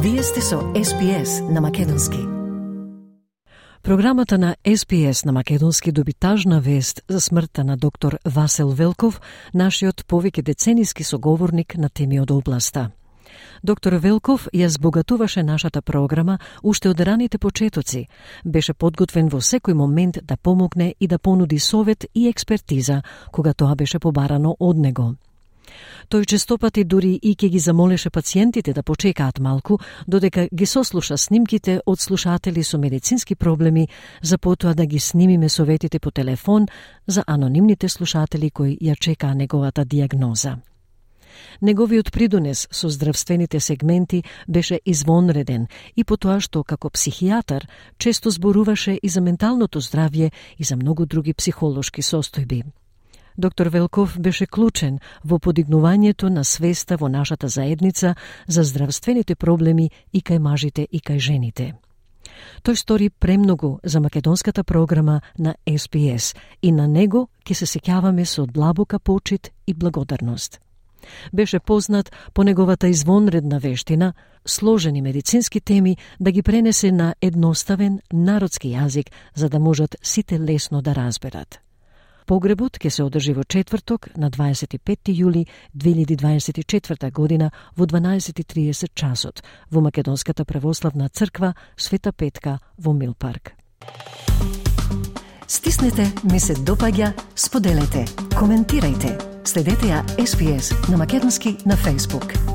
Вие сте со SPS на македонски. Програмата на SPS на македонски доби тажна вест за смртта на доктор Васил Велков, нашиот повеќе децениски соговорник на теми од областа. Доктор Велков ја збогатуваше нашата програма уште од раните почетоци. Беше подготвен во секој момент да помогне и да понуди совет и експертиза, кога тоа беше побарано од него. Тој честопати дури и ќе ги замолеше пациентите да почекаат малку, додека ги сослуша снимките од слушатели со медицински проблеми, за потоа да ги снимиме советите по телефон за анонимните слушатели кои ја чекаа неговата диагноза. Неговиот придонес со здравствените сегменти беше извонреден и по тоа што како психијатар често зборуваше и за менталното здравје и за многу други психолошки состојби. Доктор Велков беше клучен во подигнувањето на свеста во нашата заедница за здравствените проблеми и кај мажите и кај жените. Тој стори премногу за македонската програма на SPS и на него ќе се сеќаваме со длабока почит и благодарност. Беше познат по неговата извонредна вештина, сложени медицински теми да ги пренесе на едноставен народски јазик за да можат сите лесно да разберат. Погребот ќе се одржи во четврток на 25 јули 2024 година во 12:30 часот во Македонската православна црква Света Петка во Милпарк. Стиснете, ми се допаѓа, споделете, коментирајте. Следете ја SPS на македонски на Facebook.